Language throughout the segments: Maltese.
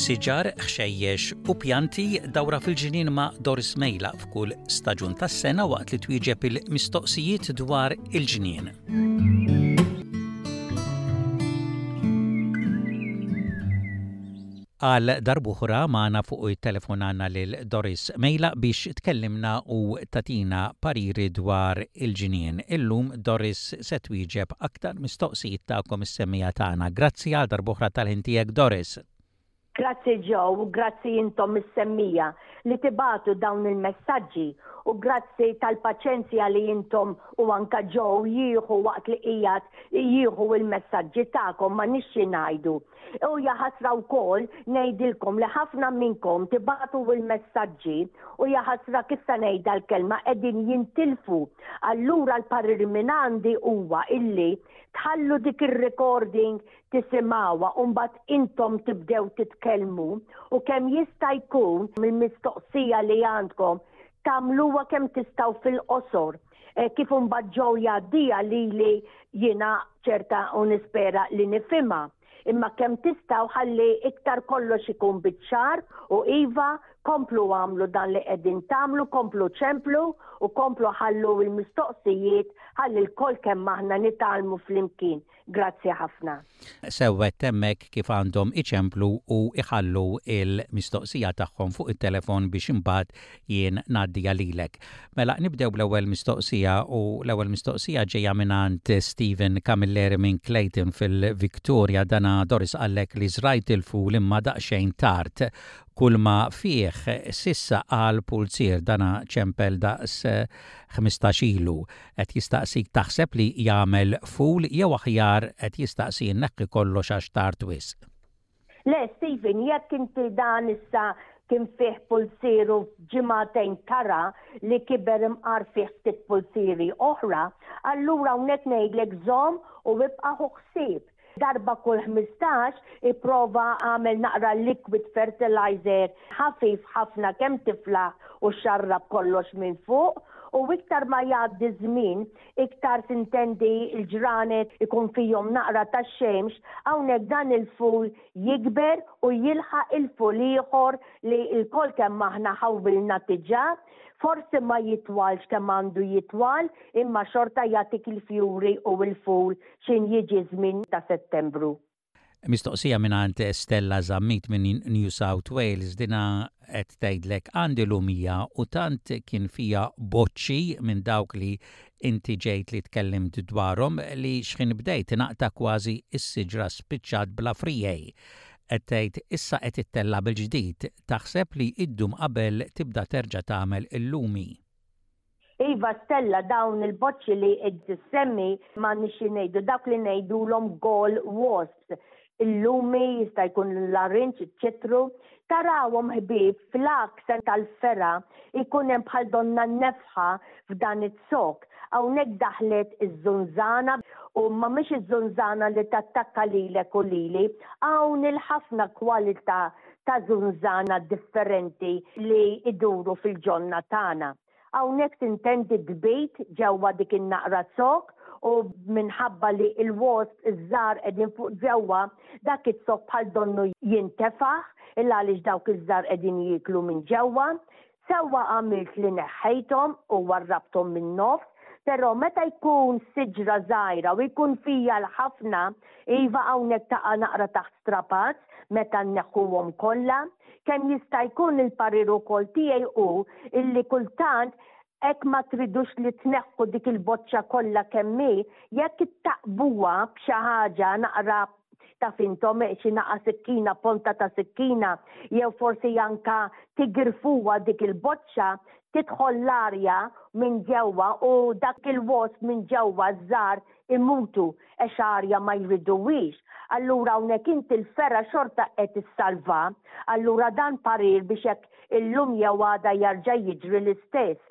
Siġar, ħxejjex u pjanti dawra fil-ġnien ma' Doris Mejla f'kull staġun tas-sena waqt li twieġeb il-mistoqsijiet dwar il-ġnien. Għal darb'oħra magħna fuq it-telefon għandna lil Doris Mejla biex tkellimna u tagħtina pariri dwar il-ġnien. Illum Doris se twieġeb aktar mistoqsijiet tagħkom is-semmiegħa tagħna. Grazzi għal darb'oħra tal-ħin tiegħek Doris. Grazzi Joe u grazzi intom is-semmiegħa li tibagħtu dawn il-messaġġi u grazzi tal-paċenzja li intom u anka Joe jieħu waqt li qiegħed jieħu il-messaġġi tagħkom ma nix xi ngħidu. U jaħasra wkoll ngħidilkom li ħafna minnkom tibagħtu l-messaġġi u jaħasra kif se ngħidha l-kelma qegħdin jintilfu. Allura l-parir minn għandi huwa illi tħallu dik ir-recording tisimgħuha u mbagħad intom tibdew titkellmu u kemm jista' jkun mill-mistoqsija li għandkom tagħmluha kemm tistgħu fil-qosor. Eh, kif imbagħad ġew jgħaddiha lili jiena ċerta u nispera li nifhimha. Imma kemm tistgħu ħalli iktar kollox ikun biċ-ċar u iva komplu għamlu dan li qegħdin tagħmlu, komplu ċemplu u komplu ħallu l-mistoqsijiet ħalli lkoll kemm aħna nitgħallmu flimkien. Grazzi ħafna. Sewwa għedt hemmhekk kif għandhom iċemplu u jħallu l-mistoqsija tagħhom fuq it-telefon biex imbagħad jien ngħaddiha lilek. Mela nibdew bl-ewwel mistoqsija u l-ewwel mistoqsija ġejja mingħand Stephen Camilleri minn Clayton fil-Victoria. Dana Doris qallek li żrajt il-ful imma daqsxejn tard. Kulma fih s'issa qal pulzier dana ċempel daqs 15 ilu. Qed jistaqsik taħseb li jagħmel ful jew aħjar qed jistaqsi nneħħi kollox għax tard wisq? Le Stephen, jekk inti dan issa kien fih pulzier u f'ġimagħtejn tara li kiber imqar fih ftit pulzieri oħra, allura hawnhekk ngħidlek żomm u ibqa' ħu ħsieb. Darba kull 15 ipprova agħmel naqra liquid fertilizer ħafif ħafna kemm tiflaħ u xarrab kollox minn fuq u iktar ma jgħaddi ż-żmien iktar sintendi l-ġranet ikun fihom naqra ta' xemx hawnhekk dan il-ful jikber u jilħaq il-ful ieħor li lkoll kemm aħna ħawwilna diġà. Forsi ma jitwalx kemm għandu jitwal imma xorta jagħtik il-fjuri u l-ful X'in jiġi ż-żmien ta' Settembru. Mistoqsija mingħand Stella Zammit minn New South Wales, dinha qed tgħidlek għandi lumija u tant kien fiha boċċi minn dawk li inti ġejt li tkellimt dwarhom li x'ħin bdejt naqta' kważi s-siġra spiċċat bla friegħi. Qed tgħid issa qed ittella' bil-ġdid, taħseb li iddum qabel tibda terġa' tagħmel il-lumi? Iva Stella dawn il-boċċi li qed issemmi m'għandniex xi ngħidu dawk li ngħidulhom gall wasps. Il-lumi jista' jkun l-larinġ, iċ-ċitru. Tarawhom ħbieb fl-għaksa tal-fergħa jkun hemm bħal donna nefħa f'dan iz-zokk. Hawnhekk daħlet iż-żunżana u ma mhix iż-żunżana li tattakka lilek u lili, hawn il-ħafna kwalità ta' żunżana differenti li jduru fil-ġonna tagħna. Hawnhekk tintendi tbid ġewwa dik in-naqra zokk u minħabba li l-wasp iż-żgħar qegħdin fuq ġewwa, dak iz-zokk bħal donnu jintefaħ il għaliex dawk iż-żgħar qegħdin jieklu minn ġewwa. Sewwa għamilt li neħħejthom u warrabthom min-nofs, però meta jkun siġra żgħira u jkun fija l-ħafna, iva hawnhekk taqa' naqra taħt strapazz meta nneħħuhom kollha. Kemm jista' jkun il-parir ukoll tiegħi hu illi kultant hekk ma tridux li tneħħu dik il-boċċa kollha kemm hi, jekk ittaqbuha b'xi ħaġa naqra taf intom xi naqa' sikkina, ponta ta' sikkina, jew forsi anka tigrfuha dik il-boċċa, tidħol l-arja minn ġewwa u dak il-wasp minn ġewwa ż-żgħar imutu għax arja ma jriduhiex. Allura hawnhekk inti l-fergħa xorta qed issalvha. Allura dan parir biex hekk illum jew għada jarġa' jiġri l-istess.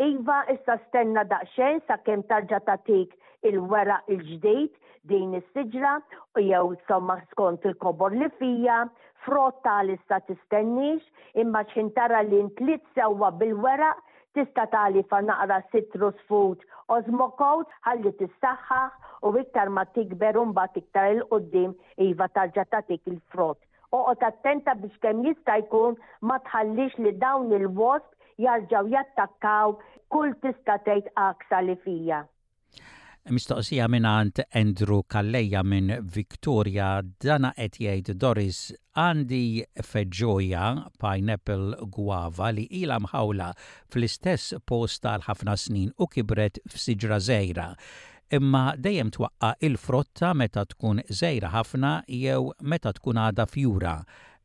Iva issa stenna daqsxejn sakemm tarġa' tagħtik il-weraq il-ġdid din is-siġra u jew insomma skont il-kobor li fija, frott għalissa tistenniex, imma x'ħin tara li ntliet sewwa bil-weraq tista' tagħlifa naqra citrus food Osmocote ħalli tissaħħaħ u iktar ma tikber u mbagħad iktar 'il quddiem iva tarġa' tagħtik il-frott. Oqgħod attenta biex kemm jista' jkun ma tħallix li dawn il-wasp jarġgħu jattakkaw kull tista' tgħid għaksa li fija. Mistoqsija mingħand Andrew Calleja minn Victoria, dana qed jgħid Doris għandi feġġoja pineapple guava li ilha mħawla fl-istess post għal ħafna snin u kibret f'siġra żgħira. Imma dejjem twaqqa' il-frotta meta tkun żgħira ħafna jew meta tkun għadha fjura.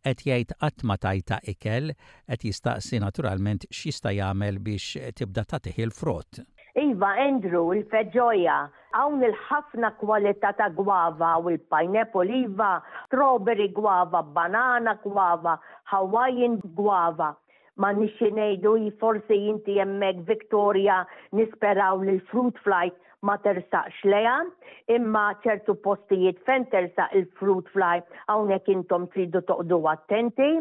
Qed jgħid qatt ma tajtha ikel, qed jistaqsi naturalment x'jista' jagħmel biex tibda tagħtih il-frott. Iva Andrew, il-feġoja, hawn il-ħafna kwalità ta' guava u l-pineapple iva, strawberry guava, banana guava, Hawaiian guava. M'għandniex xi ngħidu hi forsi inti hemmhekk Victoria nisperaw li l-fruit fly ma tersaqx lejha, imma ċertu postijiet fejn tersaq il-fruit fly hawnhekk intom tridu toqgħdu attenti.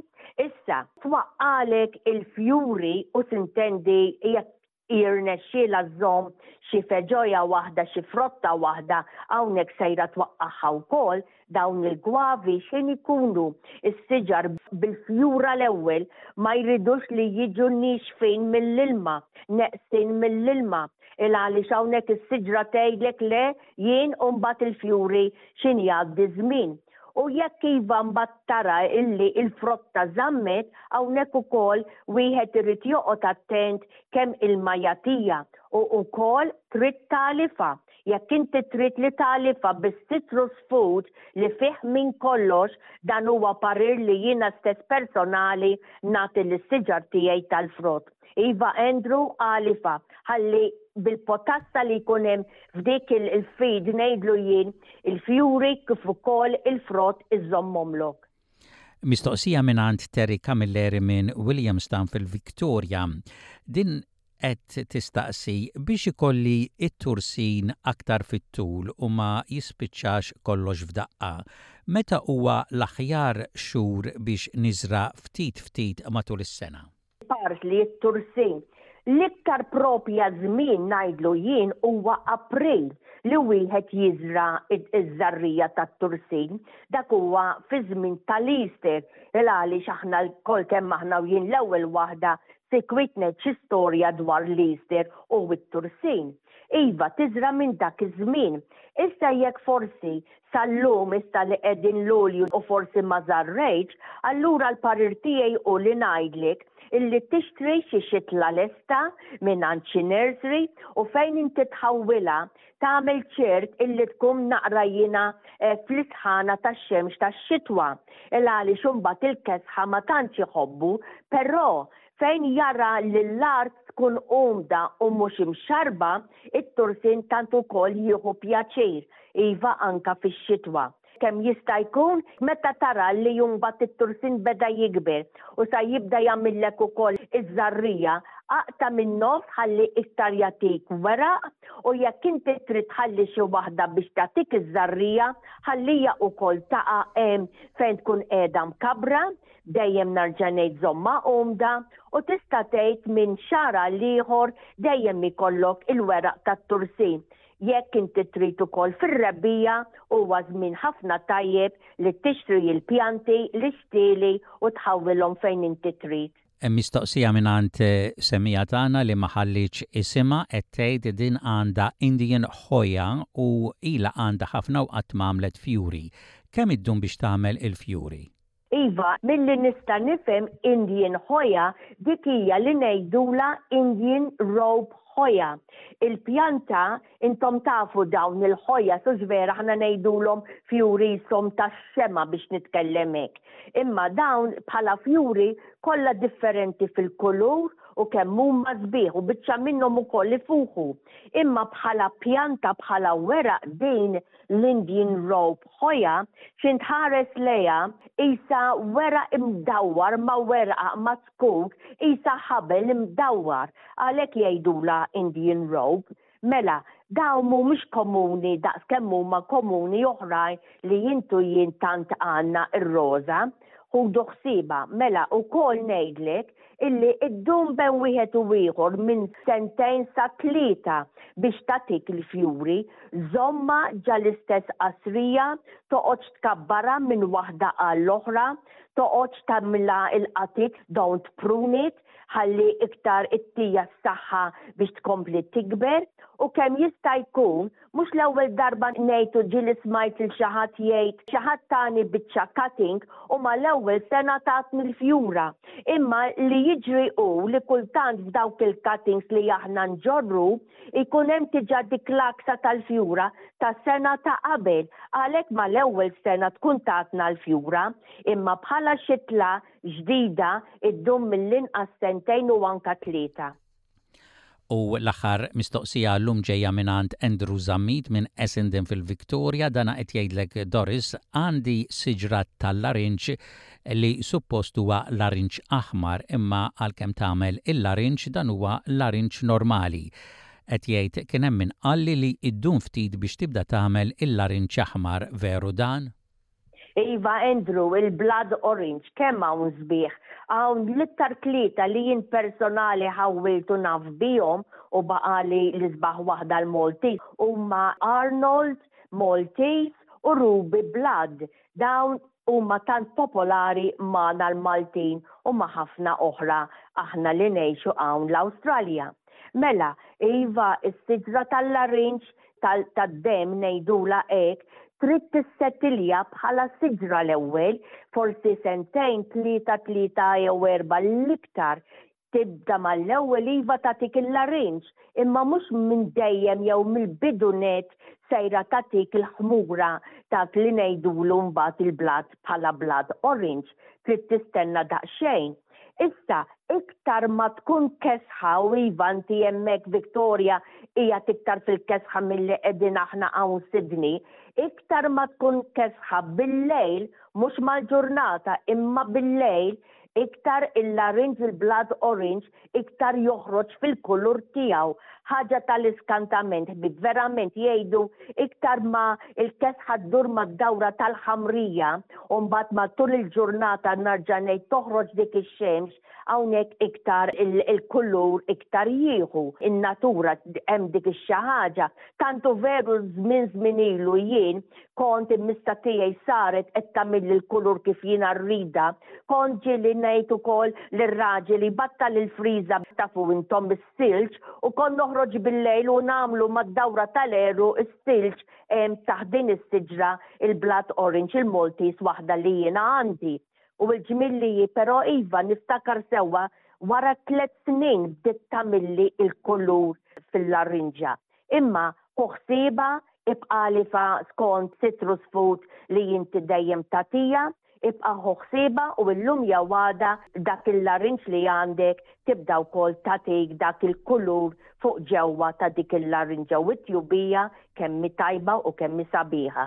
Issa, twaqqalek il-fjuri u sintendi jekk jirnexxielha żżomm xi feġoja waħda, xi frotta waħda, hawnhekk sejra twaqqagħha wkoll, dawn il-gwavi x'ħin ikunu s-siġar bil-fjura l-ewwel ma jridux li jiġu niexfin mill-ilma, neqsin mill-ilma, il għaliex hawnhekk is-siġra tgħidlek le jien u mbagħad il-fjuri x'ħin jgħaddi ż-żmien. U jekk iva mbagħad tara illi l-frotta żammet, hawnhekk ukoll wieħed irid joqgħod attent kemm ilma jagħtiha u wkoll trid tagħlifha. Jekk inti trid li tagħlifha bis-citrus food li fih minn kollox, dan huwa parir li jiena stess personali nagħti lis-siġar tiegħi tal-frott. Iva Andrew għalifa, ħalli bil-potassa li jkun hemm f'dik il-feed ngħidlu jien il-fjuri kif ukoll il-frott iżommhomlok. Mistoqsija mingħand Terry Camilleri minn Williamstown fil-Victoria. Din qed tistaqsi biex ikolli t-tursin aktar fit-tul u ma jispiċċax kollox f'daqqa. Meta huwa l-aħjar xhur biex niżra' ftit ftit matul is-sena? Parsley, it-tursin. L-iktar propja żmien ngħidlu jien huwa April li wieħed jiżra' iż-żarrija tat-tursin. Dak huwa fi żmien tal-Easter il għaliex aħna lkoll kemm aħna u jien l-ewwel waħda sikwit ngħid xi storja dwar l-Easter u t-tursin. Iva, tiżra' minn dak iż-żmien. Issa jekk forsi sal-lum issa li qegħdin Lulju u forsi ma żarrejtx, allura l-parir tiegħi hu li ngħidlek illi tixtri xi xitla lesta mingħand xi nursery u fejn inti tħawwilha tagħmel ċert illi tkun naqra jiena eh, fl-isħana tax-xemx tax-xitwa. Il għaliex imbagħad il-kesħa ma tantx iħobbu, però Fejn jara li l-art tkun umda u mhux imxarrba, it-tursin tant ukoll jieħu pjaċir, iva anka fix-xitwa. Kemm jista' jkun, meta tara li mbagħad it-tursin beda jikber u sa jibda jagħmillek ukoll iż-żarrija, aqta' min-nofs ħalli iktar jagħtik weraq u jekk inti trid tħalli xi waħda biex tagħtik iż-żarrija, ħallija ukoll taqa' hemm fejn tkun qiegħda mkabbra. Dejjem narġa' ngħid żommha umda u tista' tgħid minn xahar għal ieħor dejjem ikollok il-weraq tat-tursin. Jekk inti trid ukoll fir-rebbiegħa huwa żmien ħafna tajjeb li tixtri l-pjanti, l-ixtieli u tħawwilhom fejn inti trid. Hemm mistoqsija mingħand semmiegħa tagħna li ma ħallietx isimha qed tgħid din għandha Indian Hoya u ilha għandha ħafna u qatt m'għamlet fjuri. Kemm iddum biex tagħmel il-fjuri? Iva, milli nista' nifhem Indian Hoya dik hija li ngħidulha Indian Rope Hoya. Il-pjanta, intom tafu dawn il-Hoyas hux vera aħna ngħidulhom fjuri qishom tax-xemgħa biex nitkellem hekk. Imma dawn bħala fjuri kollha differenti fil-kulur u kemm huma sbieħ u biċċa minnhom ukoll ifuħu. Imma bħala pjanta bħala weraq din l-Indian Rope Hoya, x'int tħares lejha qisha weraq imdawwar ma' werqa ma' zkuk qisha ħabel imdawwar, għalhekk jgħidulha Indian Rope. Mela, dawn mhumiex komuni daqs kemm huma komuni oħrajn li int u jien tant għandna r-roża. Ħudu ħsiebha. Mela, ukoll ngħidlek. illi ddum bejn wieħed u ieħor minn sentejn sa tlieta biex tagħtik il-fjuri, żommha ġa l-istess qasrija, toqgħodx tkabbarha minn waħda għall-oħra, toqgħodx tagħmilha l-qatit, don't prune it, ħalli iktar ittija s-saħħa biex tkompli tikber u kemm jista' jkun Mhux l-ewwel darba ngħid u ġieli smajt lil xi ħadd jgħid xi ħadd tani biċċa cutting u mal-ewwel sena tatni l-fjura. Imma li jiġri hu li kultant f'dawk il-cuttings li aħna nġorru jkun hemm diġà dik l-għaksa tal-fjura ta' sena ta' qabel għalhekk mal-ewwel sena tkun tatna l-fjura. Imma bħala xitla ġdida ddum mill-inqas sentejn u anka tlieta. U l-aħħar mistoqsija llum ġejja mingħand Andrew Zammit minn Essendon fil-Victoria, dana qed jgħidlek Doris, għandi siġra tal-larinġ li suppost huwa larinġ aħmar imma għalkemm tagħmel il-larinġ dan huwa larinġ normali. Qed jgħid kien hemm min qalli li ddum ftit biex tibda tagħmel il-larinġ aħmar, veru dan? Iva Andrew, il-blood orange, kemm hawn sbieħ. Hawn l-iktar tlieta li jien personali ħawwilt u naf bihom u baqali l-isbaħ waħda l-Maltese huma Arnold, Maltese u Ruby Blood. Dawn huma tant popolari magħna l-Maltin u ma' ħafna oħra aħna li ngħixu hawn l-Awstralja. Mela, iva, is-siġra tal-larinġ tad-demm ngħidulha hekk, trid tissettilja bħala siġra l-ewwel, forsi sentejn, tlieta, tlieta jew erbgħa l-iktar. Tibda mal-ewwel iva tagħtik il-larinġ, imma mhux minn dejjem jew mill-bidu nett sejra tagħtik il-ħmura dak li ngħidulu mbagħad il-blood bħala blood orange. Trid tistenna daqsxejn. Issa, iktar ma tkun kesħa u iva inti hemmhekk Victoria qiegħed iktar fil-kesħa milli qegħdin aħna hawn Sydney, iktar ma tkun kesħa bil-lejl, mhux mal-ġurnata imma bil-lejl, iktar il-larinġ il-blood orange iktar joħroġ fil-kulur tiegħu. Ħaġa tal-iskantament ħbieb, verament jgħidu iktar ma l-kesħa ddur mad-dawra tal-ħamrija u mbagħad matul il-ġurnata narġa' ngħid toħroġ dik ix-xemx, hawnhekk iktar il-kulur iktar jieħu. In-natura hemm dik ix-xi ħaġa. Tant hu veru żmien żmien ilu jien kont il-mista tiegħi saret qed tagħmilli l-kulur kif jiena rridha, kont ġieli ngħid ukoll lir-raġel jbattal il-friża tafu intom is-silġ u kont noħroġ bil-lejl u nagħmlu mad-dawra tal-għeruq is-silġ hemm taħt din is-siġra il-blood orange il-Maltese waħda li jiena għandi. U l-ġmiel li hi però iva niftakar sewwa wara tlett snin bdiet tagħmilli l-kulur fil-larinġa. Imma ħu ħsiebha, ibqagħli fa skont citrus food li inti dejjem tagħtiha, ibqa' ħu ħsiebha u illum jew għada dak il-larinġ li għandek tibda wkoll tagħtik dak il-kulur fuq ġewwa ta' dik il-larinġa u t-tjubija kemm hi tajba u kemm hi sabiħa.